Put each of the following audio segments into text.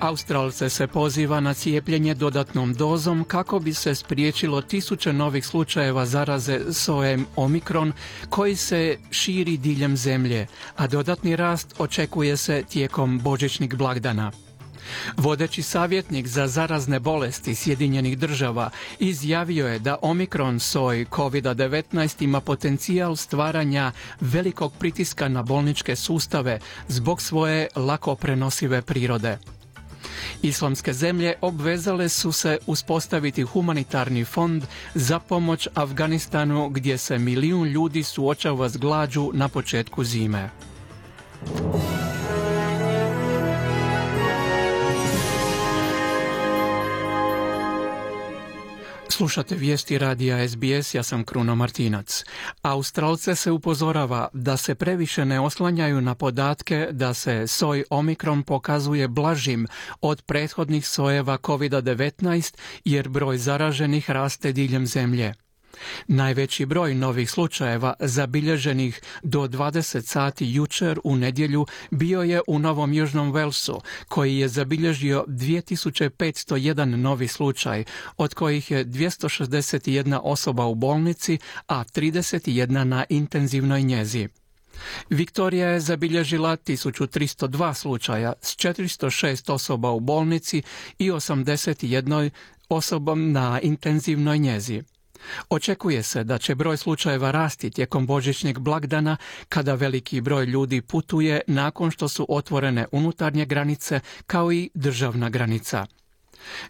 Australce se poziva na cijepljenje dodatnom dozom kako bi se spriječilo tisuće novih slučajeva zaraze sojem Omikron koji se širi diljem zemlje, a dodatni rast očekuje se tijekom božićnih blagdana. Vodeći savjetnik za zarazne bolesti Sjedinjenih država izjavio je da Omikron soj COVID-19 ima potencijal stvaranja velikog pritiska na bolničke sustave zbog svoje lako prenosive prirode. Islamske zemlje obvezale su se uspostaviti humanitarni fond za pomoć Afganistanu gdje se 1 milijun ljudi suočava s glađu na početku zime. Slušate vijesti radija SBS, ja sam Kruno Martinac. Australce se upozorava da se previše ne oslanjaju na podatke da se soj Omikron pokazuje blažim od prethodnih sojeva COVID-19 jer broj zaraženih raste diljem zemlje. Najveći broj novih slučajeva zabilježenih do 20 sati jučer u nedjelju bio je u Novom Južnom Walesu, koji je zabilježio 2501 novi slučaj, od kojih je 261 osoba u bolnici, a 31 na intenzivnoj njezi. Viktorija je zabilježila 1302 slučaja s 406 osoba u bolnici i 81 osobom na intenzivnoj njezi. Očekuje se da će broj slučajeva rasti tijekom božićnjeg blagdana kada veliki broj ljudi putuje nakon što su otvorene unutarnje granice kao i državna granica.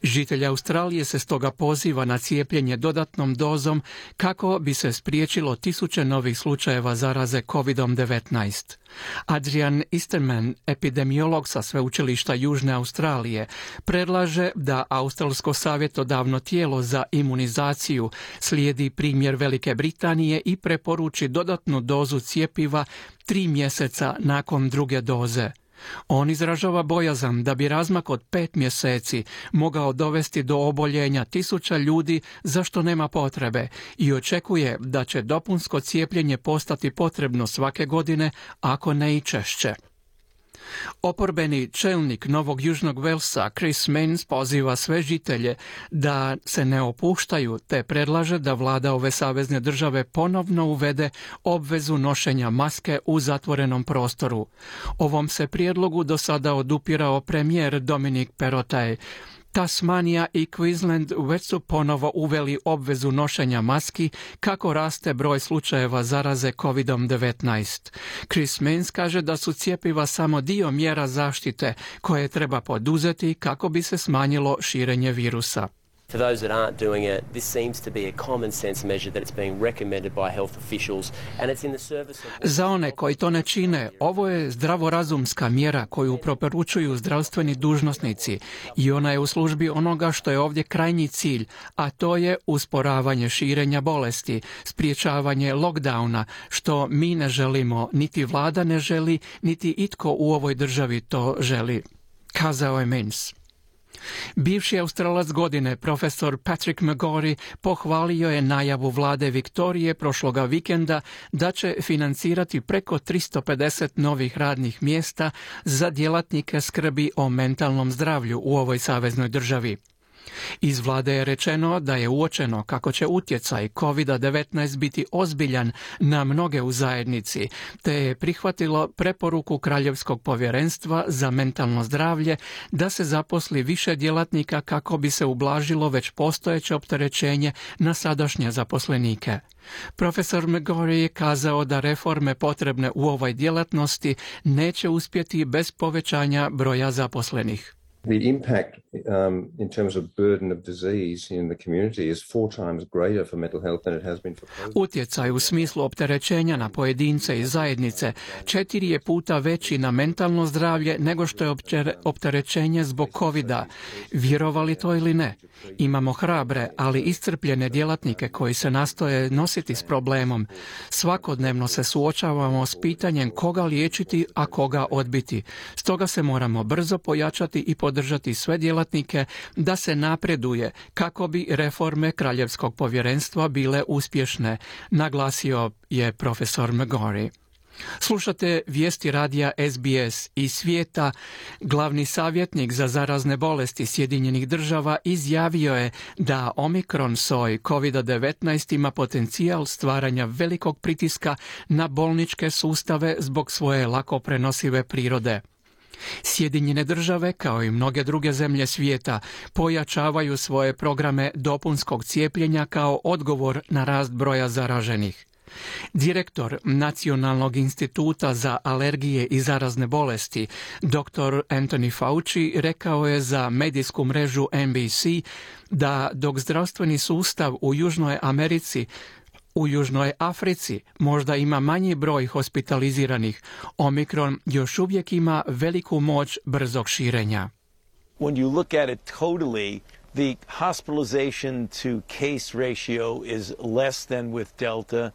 Žitelji Australije se stoga poziva na cijepljenje dodatnom dozom kako bi se spriječilo tisuće novih slučajeva zaraze COVID-19. Adrian Easterman, epidemiolog sa sveučilišta Južne Australije, predlaže da Australsko savjetodavno tijelo za imunizaciju slijedi primjer Velike Britanije i preporuči dodatnu dozu cjepiva 3 mjeseca nakon druge doze. On izražava bojazan da bi razmak od 5 mjeseci mogao dovesti do oboljenja tisuća ljudi za što nema potrebe i očekuje da će dopunsko cijepljenje postati potrebno svake godine, ako ne i češće. Oporbeni čelnik Novog Južnog Walesa Chris Minns poziva sve žitelje da se ne opuštaju te predlaže da vlada ove savezne države ponovno uvede obvezu nošenja maske u zatvorenom prostoru. Ovom se prijedlogu do sada odupirao premijer Dominic Perrottet. Tasmanija i Queensland već su ponovo uveli obvezu nošenja maski kako raste broj slučajeva zaraze COVID-19. Chris Minns kaže da su cjepiva samo dio mjera zaštite koje treba poduzeti kako bi se smanjilo širenje virusa. For those that aren't doing it, this seems to be a common sense measure that it's being recommended by health officials and it's in the service of... Za one koji to ne čine, ovo je zdravorazumska mjera koju preporučuju zdravstveni dužnosnici i ona je u službi onoga što je ovdje krajnji cilj, a to je usporavanje širenja bolesti, spriječavanje lockdowna, što mi ne želimo, niti vlada ne želi, niti itko u ovoj državi to želi, kazao je Minns. Bivši Australac godine, profesor Patrick McGorry, pohvalio je najavu vlade Viktorije prošloga vikenda da će financirati preko 350 novih radnih mjesta za djelatnike skrbi o mentalnom zdravlju u ovoj saveznoj državi. Iz vlade je rečeno da je uočeno kako će utjecaj COVID-19 biti ozbiljan na mnoge u zajednici, te je prihvatilo preporuku Kraljevskog povjerenstva za mentalno zdravlje da se zaposli više djelatnika kako bi se ublažilo već postojeće opterećenje na sadašnje zaposlenike. Profesor McGorry je kazao da reforme potrebne u ovoj djelatnosti neće uspjeti bez povećanja broja zaposlenih. The impact in terms of burden of disease in the community is 4 times greater for mental health than it has been for COVID. Utjecaj u smislu opterećenja na pojedince i zajednice 4 je puta veći na mentalno zdravlje nego što je opterećenje zbog COVID-a. Vjerovali to ili ne? Imamo hrabre, ali iscrpljene djelatnike koji se nastoje nositi s problemom. Svakodnevno se suočavamo s pitanjem koga liječiti, a koga odbiti. Stoga se moramo brzo pojačati i podržati sve djelatnike da se napreduje kako bi reforme Kraljevskog povjerenstva bile uspješne, naglasio je profesor McGorry. Slušate vijesti radija SBS iz svijeta. Glavni savjetnik za zarazne bolesti Sjedinjenih država izjavio je da omikron soj COVID-19 ima potencijal stvaranja velikog pritiska na bolničke sustave zbog svoje lako prenosive prirode. Sjedinjene države, kao i mnoge druge zemlje svijeta, pojačavaju svoje programe dopunskog cijepljenja kao odgovor na rast broja zaraženih. Direktor Nacionalnog instituta za alergije i zarazne bolesti, dr. Anthony Fauci, rekao je za medijsku mrežu NBC da dok zdravstveni sustav u Južnoj Africi možda ima manji broj hospitaliziranih, omikron još uvijek ima veliku moć brzog širenja. When you look at it totally, the hospitalization to case ratio is less than with Delta.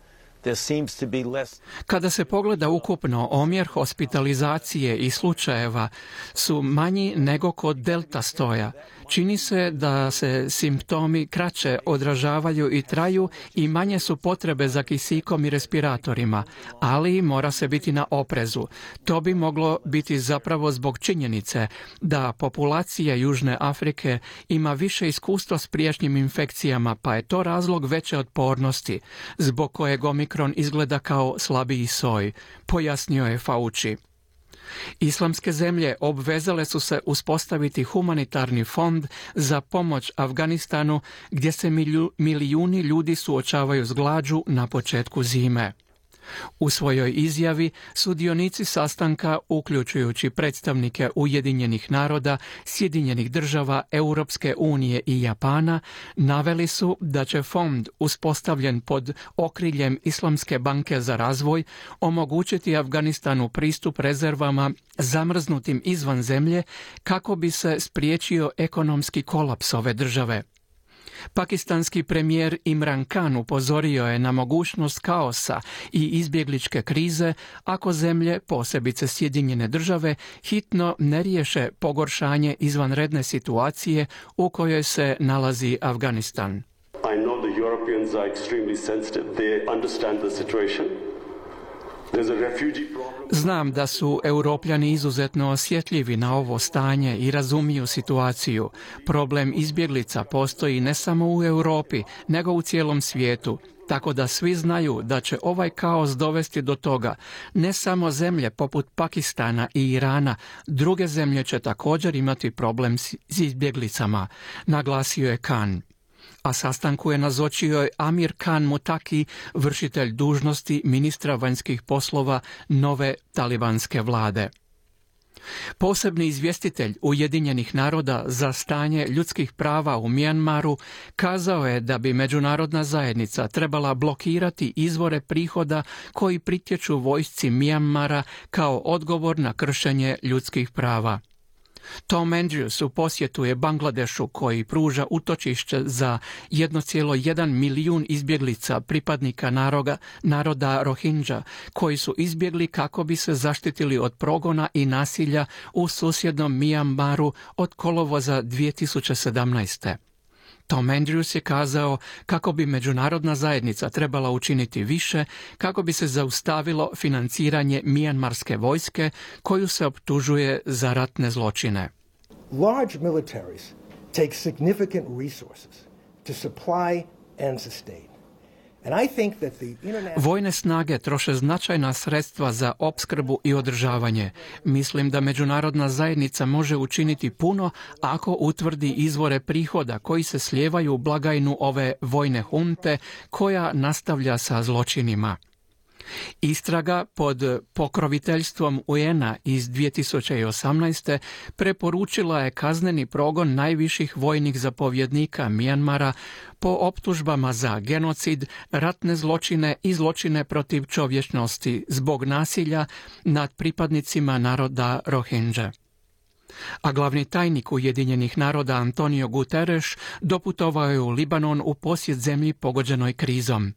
Kada se pogleda ukupno, omjer hospitalizacije i slučajeva su manji nego kod delta stoja. Čini se da se simptomi kraće odražavaju i traju i manje su potrebe za kisikom i respiratorima, ali mora se biti na oprezu. To bi moglo biti zapravo zbog činjenice da populacija Južne Afrike ima više iskustva s prijašnjim infekcijama, pa je to razlog veće otpornosti, zbog kojeg omikron izgleda kao slabiji soj, pojasnio je Fauci. Islamske zemlje obvezale su se uspostaviti humanitarni fond za pomoć Afganistanu, gdje se milijuni ljudi suočavaju s glađu na početku zime. U svojoj izjavi sudionici sastanka, uključujući predstavnike Ujedinjenih naroda, Sjedinjenih država, Europske unije i Japana, naveli su da će fond, uspostavljen pod okriljem Islamske banke za razvoj, omogućiti Afganistanu pristup rezervama zamrznutim izvan zemlje kako bi se spriječio ekonomski kolaps ove države. Pakistanski premijer Imran Khan upozorio je na mogućnost kaosa i izbjegličke krize ako zemlje, posebice Sjedinjene države, hitno ne riješe pogoršanje izvanredne situacije u kojoj se nalazi Afganistan. I know the Europeans are extremely sensitive. They understand the situation. Znam da su Europljani izuzetno osjetljivi na ovo stanje i razumiju situaciju. Problem izbjeglica postoji ne samo u Europi, nego u cijelom svijetu. Tako da svi znaju da će ovaj kaos dovesti do toga. Ne samo zemlje poput Pakistana i Irana, druge zemlje će također imati problem s izbjeglicama, naglasio je Khan. A sastanku je nazočio Amir Khan Mutaki, vršitelj dužnosti ministra vanjskih poslova nove talibanske vlade. Posebni izvjestitelj Ujedinjenih naroda za stanje ljudskih prava u Mijanmaru kazao je da bi međunarodna zajednica trebala blokirati izvore prihoda koji pritječu vojsci Mijanmara kao odgovor na kršenje ljudskih prava. Tom Andrews u posjetu je Bangladešu, koji pruža utočište za 1,1 milijun izbjeglica pripadnika naroda Rohingya, koji su izbjegli kako bi se zaštitili od progona i nasilja u susjednom Mijanmaru od kolovoza 2017. Tom Andrews je kazao kako bi međunarodna zajednica trebala učiniti više kako bi se zaustavilo financiranje mijanmarske vojske koju se optužuje za ratne zločine. Large militaries take significant resources to supply and sustain. Vojne snage troše značajna sredstva za opskrbu i održavanje. Mislim da međunarodna zajednica može učiniti puno ako utvrdi izvore prihoda koji se slijevaju u blagajnu ove vojne hunte koja nastavlja sa zločinima. Istraga pod pokroviteljstvom UN-a iz 2018. preporučila je kazneni progon najviših vojnih zapovjednika Mijanmara po optužbama za genocid, ratne zločine i zločine protiv čovječnosti zbog nasilja nad pripadnicima naroda Rohingya. A glavni tajnik Ujedinjenih naroda Antonio Guterres doputovao je u Libanon u posjet zemlji pogođenoj krizom.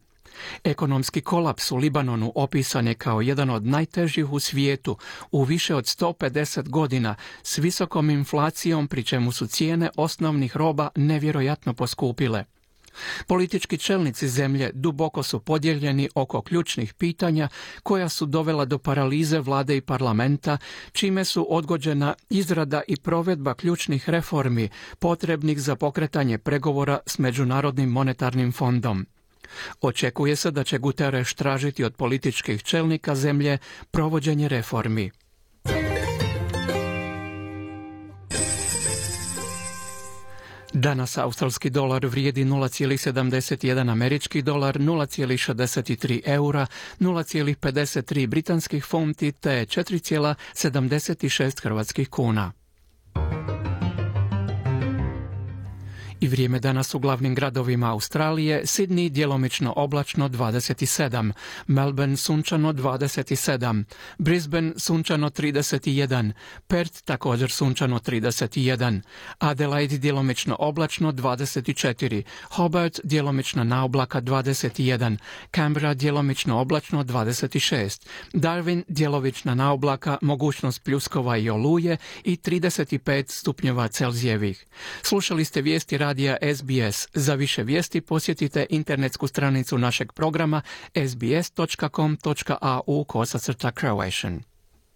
Ekonomski kolaps u Libanonu opisan je kao jedan od najtežih u svijetu u više od 150 godina s visokom inflacijom, pri čemu su cijene osnovnih roba nevjerojatno poskupile. Politički čelnici zemlje duboko su podijeljeni oko ključnih pitanja koja su dovela do paralize vlade i parlamenta, čime su odgođena izrada i provedba ključnih reformi potrebnih za pokretanje pregovora s Međunarodnim monetarnim fondom. Očekuje se da će Guterres tražiti od političkih čelnika zemlje provođenje reformi. Danas australski dolar vrijedi 0,71 američki dolar, 0,63 eura, 0,53 britanskih funti te 4,76 hrvatskih kuna. I vrijeme danas u glavnim gradovima Australije: Sydney djelomično oblačno 27, Melbourne sunčano 27, Brisbane sunčano 31, Perth također sunčano 31, Adelaide djelomično oblačno 24, Hobart djelomično na oblaka 21, Canberra djelomično oblačno 26, Darwin djelomično na oblaka, mogućnost pljuskova i oluje i 35 stupnjeva Celzijevih. Slušali ste vijesti radija SBS. Za više vijesti posjetite internetsku stranicu našeg programa sbs.com.au/Croatian.